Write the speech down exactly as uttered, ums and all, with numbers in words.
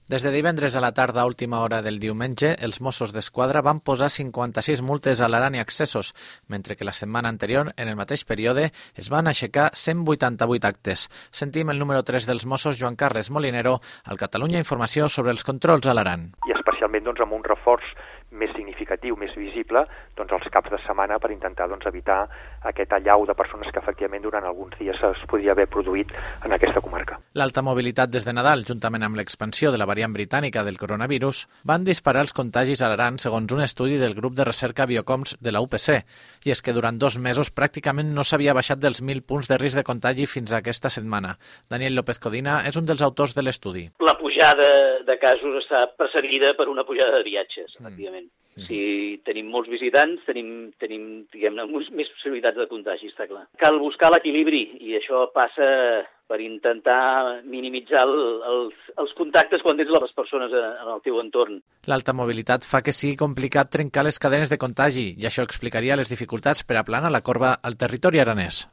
Des de divendres a la tarda a última hora del diumenge, els Mossos d'Esquadra van posar cinquanta-sis multes a l'Aran i accessos, mentre que la setmana anterior, en el mateix període, es van aixecar cent vuitanta-vuit actes. Sentim el número tres dels Mossos, Joan Carles Molinero, al Catalunya Informació sobre els controls a l'Aran. I especialment doncs, amb un reforç més significatiu, més visible, doncs els caps de setmana per intentar doncs, evitar aquest allau de persones que efectivament durant alguns dies es podria haver produït en aquesta comarca. L'alta mobilitat des de Nadal, juntament amb l'expansió de la variant britànica del coronavirus, van disparar els contagis a l'Aran segons un estudi del grup de recerca Biocoms de la U P C. I és que durant dos mesos pràcticament no s'havia baixat dels mil punts de risc de contagi fins a aquesta setmana. Daniel López Codina és un dels autors de l'estudi. La pujada de casos està precedida per una pujada de viatges, efectivament. Mm. Si tenim molts visitants, tenim, tenim diguem-ne, més possibilitats de contagi, està clar. Cal buscar l'equilibri i això passa per intentar minimitzar el, els, els contactes quan tens les persones en el teu entorn. L'alta mobilitat fa que sigui complicat trencar les cadenes de contagi i això explicaria les dificultats per aplanar la corba al territori aranès.